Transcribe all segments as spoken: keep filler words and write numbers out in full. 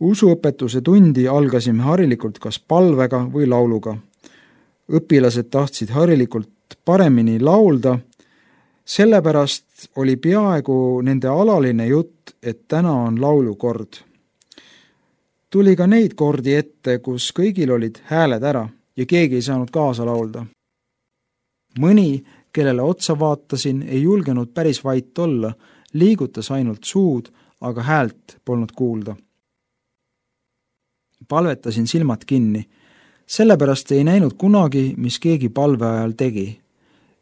Usuõpetuse tundi algasime harilikult kas palvega või lauluga. Õpilased tahtsid harilikult paremini laulda, sellepärast oli peaaegu nende alaline jutt, et täna on laulukord. Tuli ka neid kordi ette, kus kõigil olid hääled ära ja keegi ei saanud kaasa laulda. Mõni, kellele otsa vaatasin, ei julgenud päris vait olla, liigutas ainult suud, aga häält polnud kuulda. Palvetasin silmad kinni, sellepärast ei näinud kunagi, mis keegi palve ajal tegi.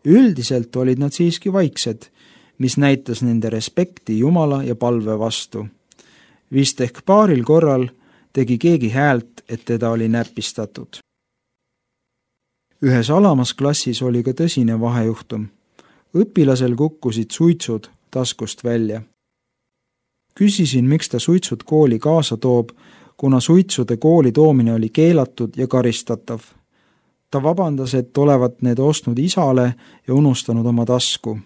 Üldiselt olid nad siiski vaiksed, mis näitas nende respekti Jumala ja palve vastu. Vist ehk paaril korral tegi keegi häält, et teda oli näpistatud. Ühes alamas klassis oli ka tõsine vahejuhtum. Õpilasel kukkusid suitsud taskust välja. Küsisin, miks ta suitsud kooli kaasa toob, kuna suitsude kooli toomine oli keelatud ja karistatav. Ta vabandas, et olevat need ostnud isale ja unustanud oma tasku.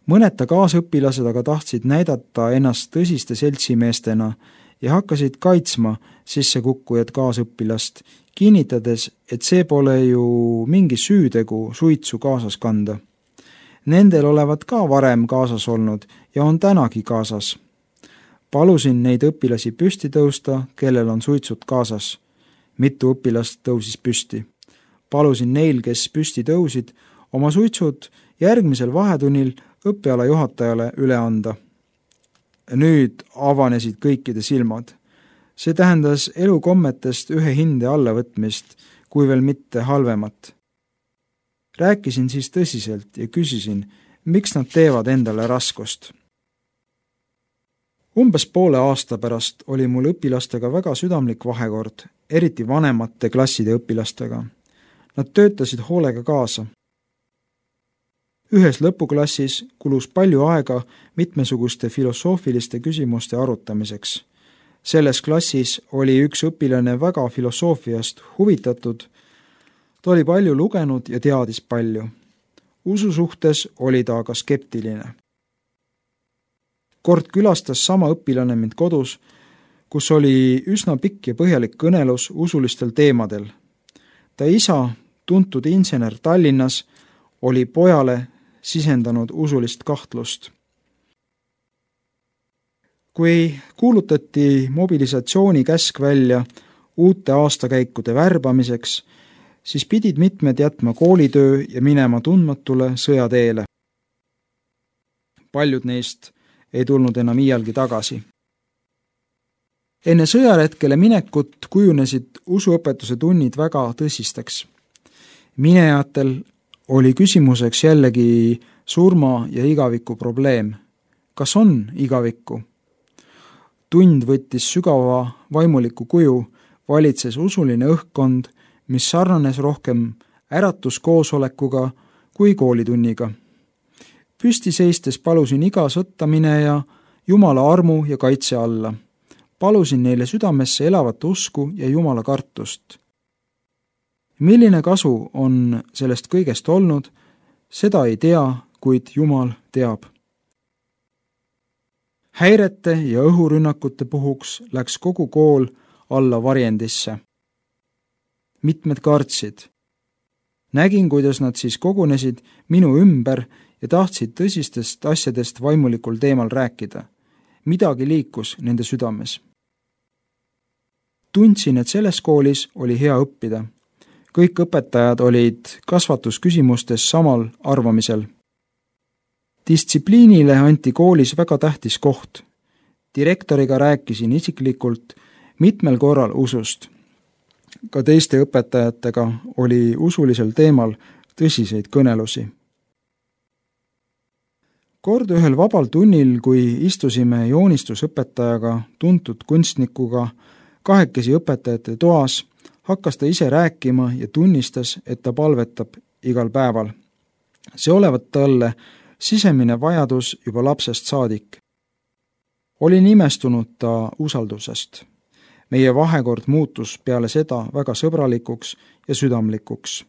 Mõned ta kaasõpilased aga tahtsid näidata ennast tõsiste seltsimeestena ja hakkasid kaitsma sissekukkujat kaasõpilast, kinnitades, et see pole ju mingi süütegu suitsu kaasas kanda. Nendel olevat ka varem kaasas olnud ja on tänagi kaasas. Palusin neid õpilasi püsti tõusta, kellel on suitsud kaasas. Mitu õpilast tõusis püsti. Palusin neil, kes püsti tõusid, oma suitsud järgmisel vahetunnil õppeala juhatajale üle anda. Nüüd avanesid kõikide silmad. See tähendas elukommetest ühe hinde allavõtmist, kui veel mitte halvemat. Rääkisin siis tõsiselt ja küsisin, miks nad teevad endale raskust. Umbes poole aasta pärast oli mul õpilastega väga südamlik vahekord, eriti vanemate klasside õpilastega. Nad töötasid hoolega kaasa. Ühes lõpuklassis kulus palju aega mitmesuguste filosoofiliste küsimuste arutamiseks. Selles klassis oli üks õpilane väga filosoofiast huvitatud, ta oli palju lugenud ja teadis palju. Usu suhtes oli ta aga skeptiline. Kord külastas sama õpilane mind kodus, kus oli üsna pikk ja põhjalik kõnelus usulistel teemadel. Ta isa, tuntud insener Tallinnas, oli pojale sisendanud usulist kahtlust. Kui kuulutati mobilisatsiooni käsk välja uute aastakäikude värbamiseks, siis pidid mitmed jätma koolitöö ja minema tundmatule sõjateele. Paljud neist ei tulnud enam iialgi tagasi. Enne sõjaretkele minekut kujunesid usuõpetuse tunnid väga tõsisteks. Minejatel oli küsimuseks jällegi surma ja igaviku probleem. Kas on igavikku? Tund võttis sügava vaimuliku kuju, valitses usuline õhkkond, mis sarnanes rohkem äratuskoosolekuga kui koolitunniga. Püsti seistes palusin iga sõtta mineja Jumala armu ja kaitse alla. Palusin neile südamesse elavat usku ja Jumala kartust. Milline kasu on sellest kõigest olnud, seda ei tea, kuid Jumal teab. Häirete ja õhurünnakute puhuks läks kogu kool alla varjendisse. Mitmed kartsid. Nägin, kuidas nad siis kogunesid minu ümber ja tahtsid tõsistest asjadest vaimulikul teemal rääkida. Midagi liikus nende südames. Tundsin, et selles koolis oli hea õppida. Kõik õpetajad olid kasvatusküsimustes samal arvamisel. Distsipliinile anti koolis väga tähtis koht. Direktoriga rääkisin isiklikult mitmel korral usust. Ka teiste õpetajatega oli usulisel teemal tõsiseid kõnelusi. Kord ühel vabal tunnil, kui istusime joonistusõpetajaga, tuntud kunstnikuga, kahekesi õpetajate toas, hakkas ta ise rääkima ja tunnistas, et ta palvetab igal päeval. See olevat talle sisemine vajadus juba lapsest saadik. Olin imestunud ta usaldusest. Meie vahekord muutus peale seda väga sõbralikuks ja südamlikuks.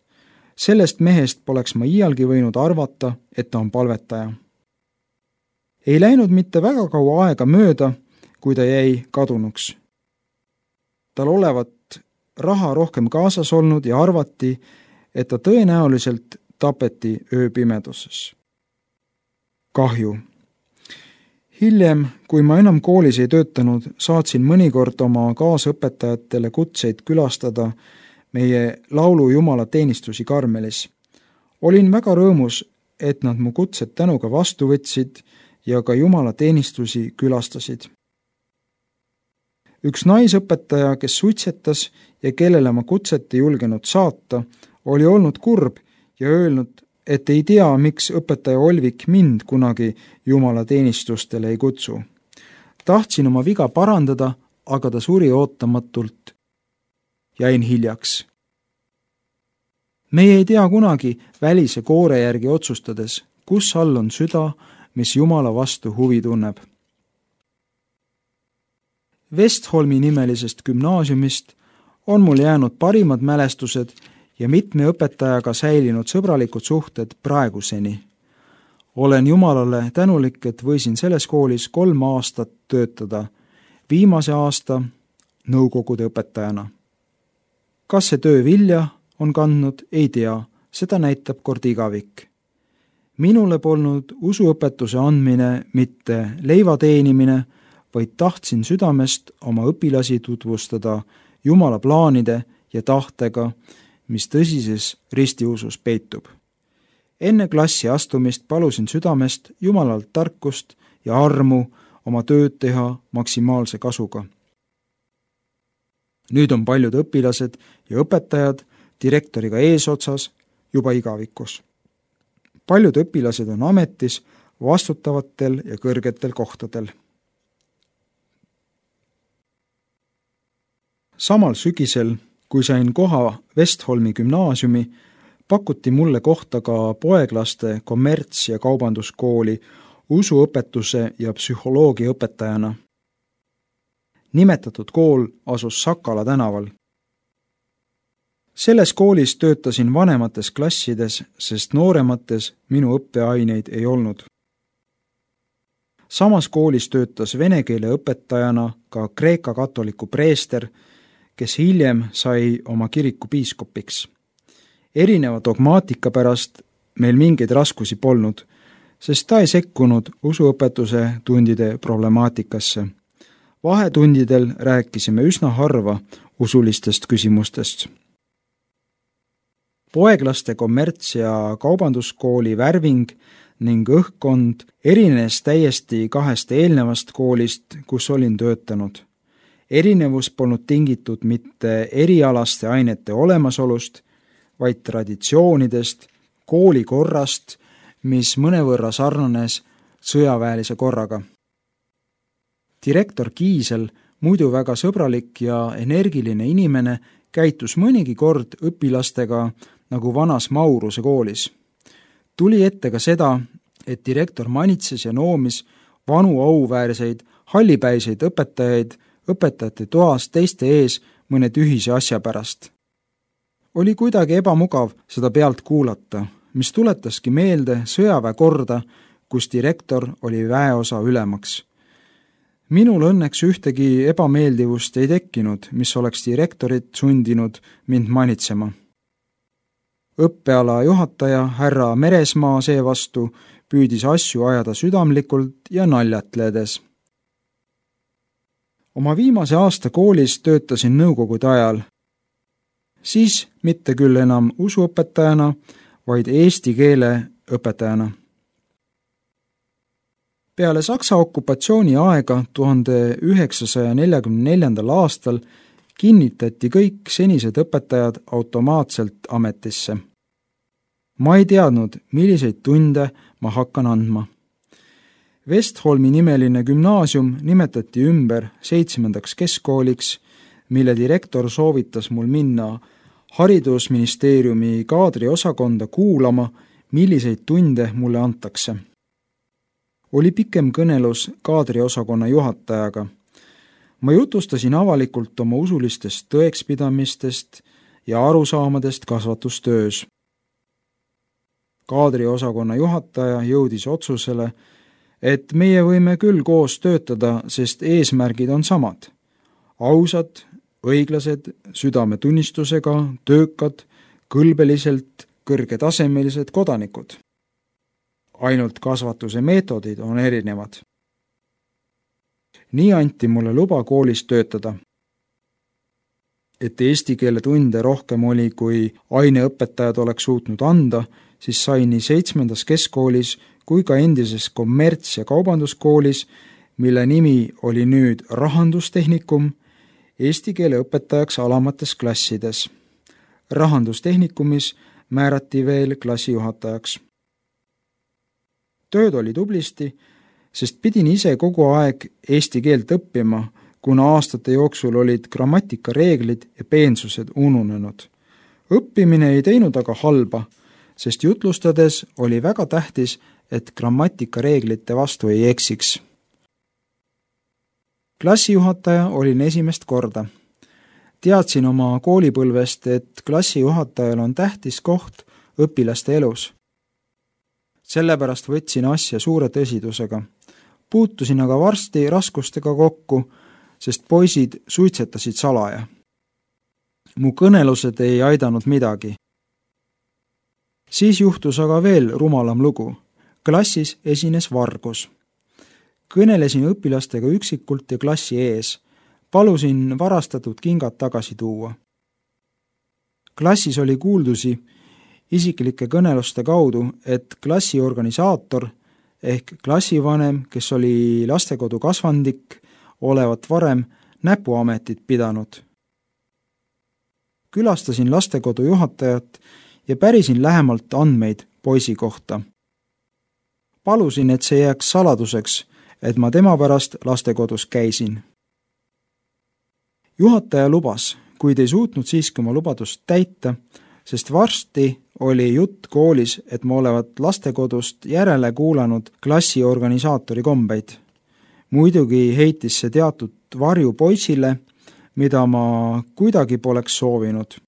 Sellest mehest poleks ma iialgi võinud arvata, et ta on palvetaja. Ei läinud mitte väga kaua aega mööda, kui ta jäi kadunuks. tal olevat raha rohkem kaasas olnud ja arvati, et ta tõenäoliselt tapeti ööpimeduses. Kahju. Hiljem, kui ma enam koolis ei töötanud, saatsin mõnikord oma kaasõpetajatele kutseid külastada meie laulu jumalateenistusi Karmelis. Olin väga rõõmus, et nad mu kutsed tänuga vastu võtsid ja ka jumalateenistusi külastasid. Üks naisõpetaja, kes suitsetas ja kellele ma kutset ei julgenud saata, oli olnud kurb ja öelnud, et ei tea, miks õpetaja Olvik mind kunagi jumalateenistustele ei kutsu. Tahtsin oma viga parandada, aga ta suri ootamatult. Jäin hiljaks. Meie ei tea kunagi välise koore järgi otsustades, kus all on süda, mis Jumala vastu huvi tunneb. Vestholmi nimelisest gümnaasiumist on mul jäänud parimad mälestused ja mitme õpetajaga säilinud sõbralikud suhted praeguseni. Olen Jumalale tänulik, et võisin selles koolis kolm aastat töötada, viimase aasta nõukogude õpetajana. Kas see töö vilja on kandnud, ei tea, seda näitab kord igavik. Minule polnud usuõpetuse andmine mitte leiva teenimine, vaid tahtsin südamest oma õpilasi tutvustada Jumala plaanide ja tahtega, mis tõsises ristiusus peitub. Enne klassi astumist palusin südamest Jumalalt tarkust ja armu oma tööd teha maksimaalse kasuga. Nüüd on paljud õpilased ja õpetajad direktoriga eesotsas juba igavikus. Paljud õpilased on ametis vastutavatel ja kõrgetel kohtadel. Samal sügisel, kui sain koha Vestholmi gümnaasiumi, pakuti mulle kohta ka poeglaste kommerts- ja kaubanduskooli usuõpetuse ja psühholoogia õpetajana. Nimetatud kool asus Sakala tänaval. Selles koolis töötasin vanemates klassides, sest nooremates minu õppeaineid ei olnud. Samas koolis töötas vene keele õpetajana ka kreeka katoliku preester, kes hiljem sai oma kiriku piiskopiks. Erineva dogmaatika pärast meil mingeid raskusi polnud, sest ta ei sekkunud usuõpetuse tundide problemaatikasse. Vahetundidel rääkisime üsna harva usulistest küsimustest. Poeglaste kommerts- ja kaubanduskooli värving ning õhkkond erines täiesti kahest eelnevast koolist, kus olin töötanud. Erinevus polnud tingitud mitte erialaste ainete olemasolust, vaid traditsioonidest, koolikorrast, mis mõnevõrra sarnanes sõjaväelise korraga. Direktor Kiisel, muidu väga sõbralik ja energiline inimene, käitus mõnigi kord õpilastega nagu vanas Mauruse koolis. Tuli ette ka seda, et direktor manitses ja noomis vanu auväärseid, hallipäiseid õpetajaid õpetajate toas teiste ees mõne tühise asja pärast. Oli kuidagi ebamugav seda pealt kuulata, mis tuletaski meelde sõjaväe korda, kus direktor oli väeosa ülemaks. Minul õnneks ühtegi ebameeldivust ei tekkinud, mis oleks direktorit sundinud mind manitsema. Õppeala juhataja härra Meresmaa seevastu püüdis asju ajada südamlikult ja naljatledes. Oma viimase aasta koolis töötasin nõukogude ajal. Siis mitte küll enam usuõpetajana, vaid eesti keele õpetajana. Peale Saksa okupatsiooni aega tuhande üheksasaja neljakümne neljandal aastal kinnitati kõik senised õpetajad automaatselt ametisse. Ma ei teadnud, milliseid tunde ma hakkan andma. Vestholmi nimeline gümnaasium nimetati ümber seitsmendaks keskkooliks, mille direktor soovitas mul minna haridusministeeriumi kaadriosakonda kuulama, milliseid tunde mulle antakse. Oli pikem kõnelus kaadriosakonna juhatajaga. Ma jutustasin avalikult oma usulistest tõekspidamistest ja arusaamadest kasvatustöös. Kaadriosakonna juhataja jõudis otsusele, et meie võime küll koos töötada, sest eesmärgid on samad. Ausad, õiglased, südametunnistusega, töökad, kõlbeliselt kõrgetasemelised kodanikud. Ainult kasvatuse meetodid on erinevad. Nii anti mulle luba koolis töötada. Et eesti keele tunde rohkem oli, kui aineõpetajad oleks suutnud anda, siis sai nii seitsmendas keskkoolis kui ka endises kommerts- ja kaubanduskoolis, mille nimi oli nüüd rahandustehnikum, eesti keele õpetajaks alamates klassides. Rahandustehnikumis määrati veel klassijuhatajaks. Tööd oli tublisti, sest pidin ise kogu aeg eesti keelt õppima, kuna aastate jooksul olid grammatikareeglid ja peensused ununenud. Õppimine ei teinud aga halba, sest jutlustades oli väga tähtis, et grammatikareeglite vastu ei eksiks. Klassijuhataja olin esimest korda. Teadsin oma koolipõlvest, et klassijuhatajal on tähtis koht õpilaste elus. Sellepärast võtsin asja suure tõsidusega. Puutusin aga varsti raskustega kokku, sest poisid suitsetasid salaja. Mu kõnelused ei aidanud midagi. Siis juhtus aga veel rumalam lugu. Klassis esines vargus. Kõnelesin õpilastega üksikult ja klassi ees. Palusin varastatud kingad tagasi tuua. Klassis oli kuuldusi isiklike kõneluste kaudu, et klassi organisaator ehk klassivanem, kes oli lastekodu kasvandik, olevat varem näpuametit pidanud. Külastasin lastekodu juhatajat ja pärisin lähemalt andmeid poisi kohta. Palusin, et see jääks saladuseks, et ma tema pärast lastekodus käisin. Juhataja lubas, kuid ei suutnud siiski oma lubadust täita, sest varsti oli jutt koolis, et ma olevat lastekodust järele kuulanud klassi organisaatori kombeid. Muidugi heitis see teatud varju poisile, mida ma kuidagi poleks soovinud.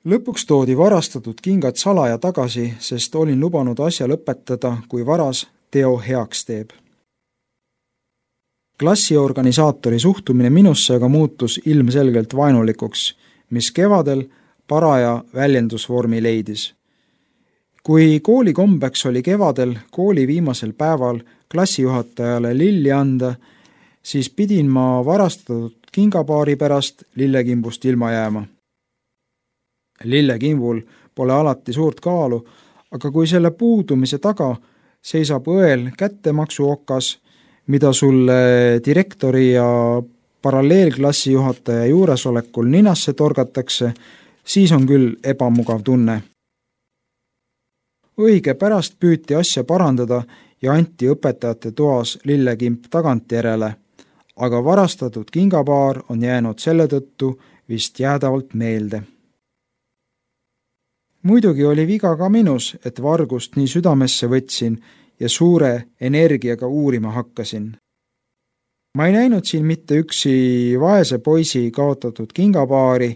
Lõpuks toodi varastatud kingad salaja tagasi, sest olin lubanud asja lõpetada, kui varas teo heaks teeb. Klassi organisaatori suhtumine minusse aga muutus ilmselgelt vaenulikuks, mis kevadel paraja väljendusvormi leidis. Kui kooli kombeks oli kevadel kooli viimasel päeval klassijuhatajale lilli anda, siis pidin ma varastatud kingapaari pärast lillekimbust ilma jääma. Lillekimbul pole alati suurt kaalu, aga kui selle puudumise taga seisab õel kättemaksuokas, mida sulle direktori ja paralleelklassijuhataja juuresolekul ninasse torgatakse, siis on küll ebamugav tunne. Õige pärast püüti asja parandada ja anti õpetajate toas lillekimp tagantjärele, aga varastatud kingapaar on jäänud selle tõttu vist jäädavalt meelde. Muidugi oli viga ka minus, et vargust nii südamesse võtsin ja suure energiaga uurima hakkasin. Ma ei näinud siin mitte üksi vaese poisi kaotatud kingapaari,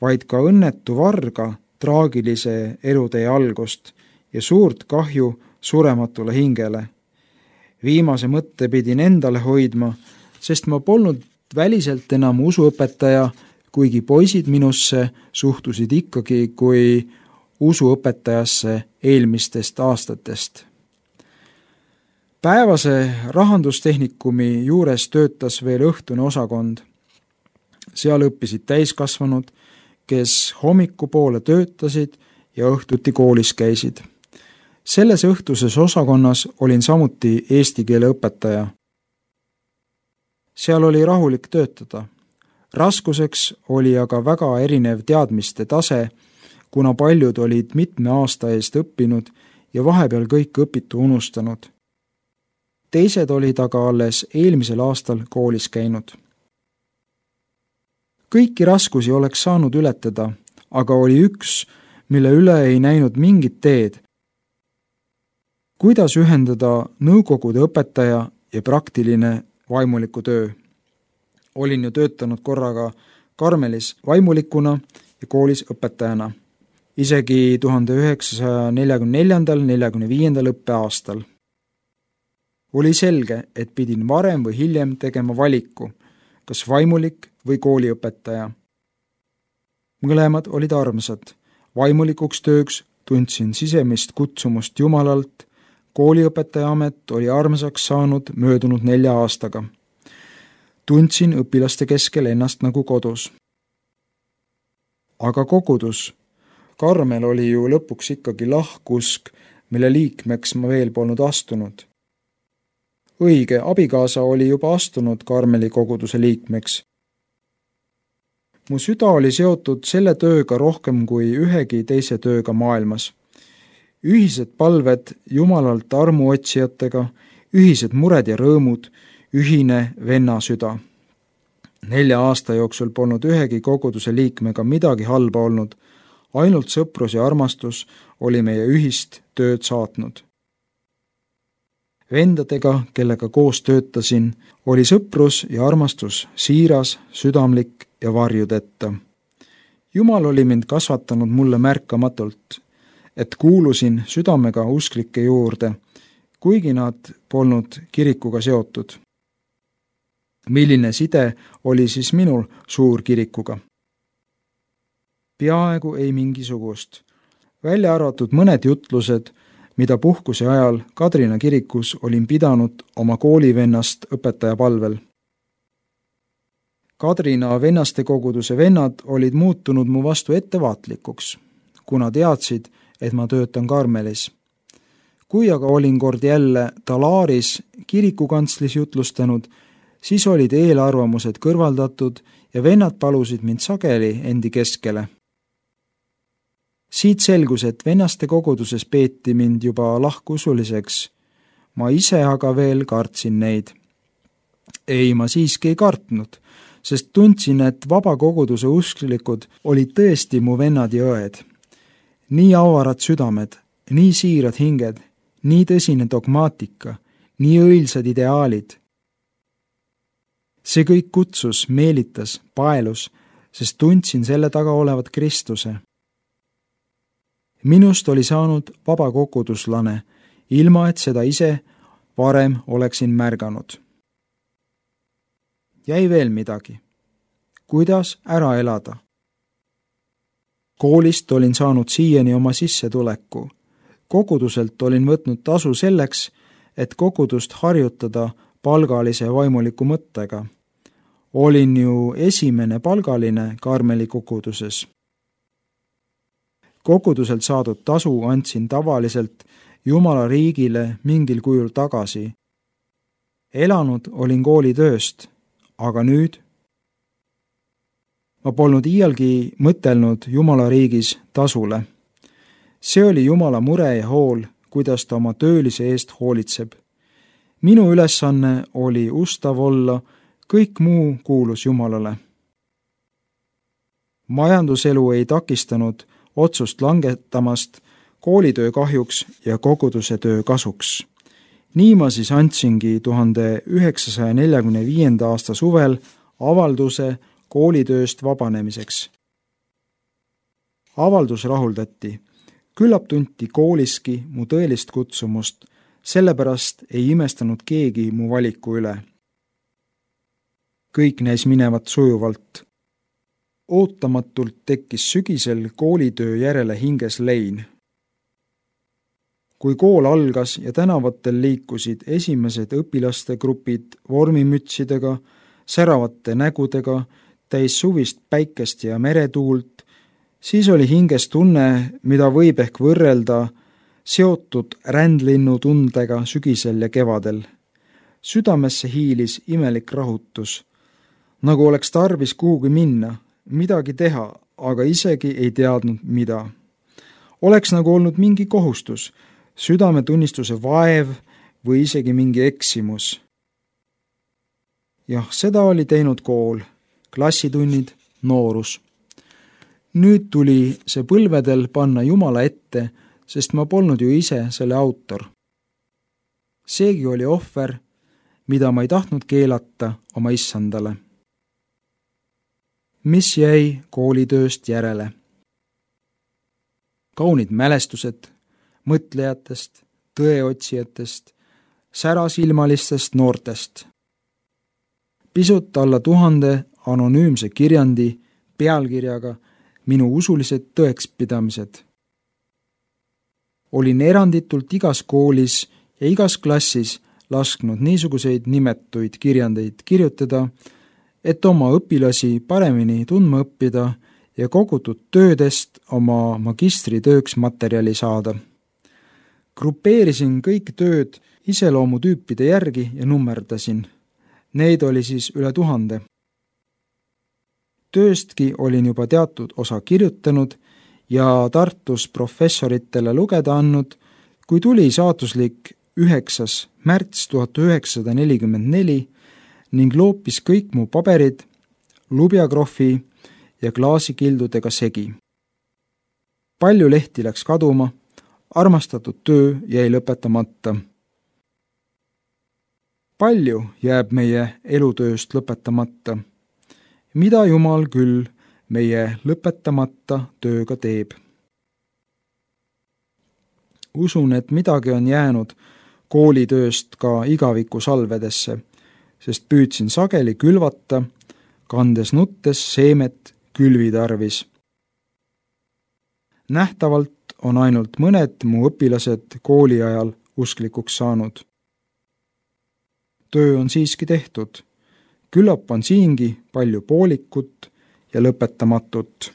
vaid ka õnnetu varga traagilise elutee algust ja suurt kahju surematule hingele. Viimase mõtte pidin endale hoidma, sest ma polnud väliselt enam usuõpetaja, kuigi poisid minusse suhtusid ikkagi kui usuõpetajasse eelmistest aastatest. Päevase rahandustehnikumi juures töötas veel õhtune osakond. Seal õppisid täiskasvanud, kes hommikupoole töötasid ja õhtuti koolis käisid. Selles õhtuses osakonnas olin samuti eesti keele õpetaja. Seal oli rahulik töötada. Raskuseks oli aga väga erinev teadmiste tase, kuna paljud olid mitme aasta eest õppinud ja vahepeal kõik õpitu unustanud. Teised olid aga alles eelmisel aastal koolis käinud. Kõiki raskusi oleks saanud ületada, aga oli üks, mille üle ei näinud mingit teed. Kuidas ühendada nõukogude õpetaja ja praktiline vaimuliku töö? Olin ju töötanud korraga Karmelis vaimulikuna ja koolis õpetajana. Isegi tuhande üheksasaja neljakümne neljandal neljakümne viiendal õppeaastal. Oli selge, et pidin varem või hiljem tegema valiku, kas vaimulik või kooliõpetaja. Mõlemad olid armsad. Vaimulikuks tööks tundsin sisemist kutsumust Jumalalt. Kooliõpetaja amet oli armsaks saanud möödunud nelja aastaga. Tundsin õpilaste keskel ennast nagu kodus. Aga kogudus. Karmel oli ju lõpuks ikkagi lahkusk, mille liikmeks ma veel polnud astunud. Õige, abikaasa oli juba astunud Karmeli koguduse liikmeks. Mu süda oli seotud selle tööga rohkem kui ühegi teise tööga maailmas. Ühised palved Jumalalt armuotsijatega, ühised mured ja rõõmud, ühine venna süda. Nelja aasta jooksul polnud ühegi koguduse liikmega midagi halba olnud, ainult sõprus ja armastus oli meie ühist tööd saatnud. Vendadega, kellega koos töötasin, oli sõprus ja armastus siiras, südamlik ja varjudetta. Jumal oli mind kasvatanud mulle märkamatult, et kuulusin südamega usklike juurde, kuigi nad polnud kirikuga seotud. Milline side oli siis minul suurkirikuga? Peaaegu ei mingisugust, välja arvatud mõned jutlused, mida puhkuse ajal Kadrina kirikus olin pidanud oma koolivennast õpetaja palvel. Kadrina vennaste koguduse vennad olid muutunud mu vastu ettevaatlikuks, kuna teadsid, et ma töötan Karmelis. Kui aga olin kord jälle Talaaris kirikukantslis jutlustanud, siis olid eelarvamused kõrvaldatud ja vennad palusid mind sageli endi keskele. Siit selgus, et vennaste koguduses peeti mind juba lahkusuliseks. Ma ise aga veel kartsin neid. Ei, ma siiski ei kartnud, sest tundsin, et vaba koguduse usklikud olid tõesti mu vennad ja õed. Nii avarad südamed, nii siirad hinged, nii tõsine dogmaatika, nii õilsad ideaalid. See kõik kutsus, meelitas, paelus, sest tundsin selle taga olevat Kristuse. Minust oli saanud vaba koguduslane, ilma et seda ise varem oleksin märganud. Jäi veel midagi. Kuidas ära elada? Koolist olin saanud siiani oma sissetuleku. Koguduselt olin võtnud tasu selleks, et kogudust harjutada palgalise vaimuliku mõttega. Olin ju esimene palgaline Karmeli koguduses. Koguduselt saadud tasu andsin tavaliselt Jumala riigile mingil kujul tagasi. Elanud olin koolitööst, aga nüüd? Ma polnud iialgi mõtelnud Jumala riigis tasule. See oli Jumala mure ja hool, kuidas ta oma töölise eest hoolitseb. Minu ülesanne oli ustav olla, kõik muu kuulus Jumalale. Majanduselu ei takistanud otsust langetamast koolitöö kahjuks ja koguduse töö kasuks. Nii ma siis andsingi tuhande üheksasaja neljakümne viienda aasta suvel avalduse koolitööst vabanemiseks. Avaldus rahuldati. Küllap tunti kooliski mu tõelist kutsumust, sellepärast ei imestanud keegi mu valiku üle. Kõik näis minevat sujuvalt. Ootamatult tekkis sügisel koolitöö järele hinges lein. Kui kool algas ja tänavatel liikusid esimesed õpilaste grupid vormimütsidega, säravate nägudega, täis suvist päikest ja meretuult, siis oli hinges tunne, mida võib ehk võrrelda seotud rändlinnu tundega sügisel ja kevadel. Südamesse hiilis imelik rahutus, nagu oleks tarvis kuhugi minna, midagi teha, aga isegi ei teadnud, mida. Oleks nagu olnud mingi kohustus, südametunnistuse vaev või isegi mingi eksimus. Jah, seda oli teinud kool, klassitunnid, noorus. Nüüd tuli see põlvedel panna Jumala ette, sest ma polnud ju ise selle autor. Seegi oli ohver, mida ma ei tahtnud keelata oma issandale. Mis jäi koolitööst järele? Kaunid mälestused mõtlejatest, tõeotsijatest, särasilmalistest noortest. Pisut alla tuhande anonüümse kirjandi pealkirjaga Minu usulised tõekspidamised. Olin eranditult igas koolis ja igas klassis lasknud niisuguseid nimetuid kirjandeid kirjutada, et oma õpilasi paremini tundma õppida ja kogutud töödest oma magistritööks materjali saada. Grupeerisin kõik tööd iseloomutüüpide järgi ja nummerdasin. Neid oli siis üle tuhande. Tööstki olin juba teatud osa kirjutanud ja Tartus professoritele lugeda andnud, kui tuli saatuslik üheksas märts tuhat üheksasada nelikümmend neli ning loopis kõik mu paberid lubjakrohvi ja klaasikildudega segi. Palju lehti läks kaduma, armastatud töö jäi lõpetamata. Palju jääb meie elutööst lõpetamata. Mida Jumal küll meie lõpetamata tööga teeb? Usun, et midagi on jäänud koolitööst ka igaviku salvedesse, sest püüdsin sageli külvata, kandes nuttes seemet külvi tarvis. Nähtavalt on ainult mõned mu õpilased kooli ajal usklikuks saanud. Töö on siiski tehtud. Küllap on siingi palju poolikut ja lõpetamatut.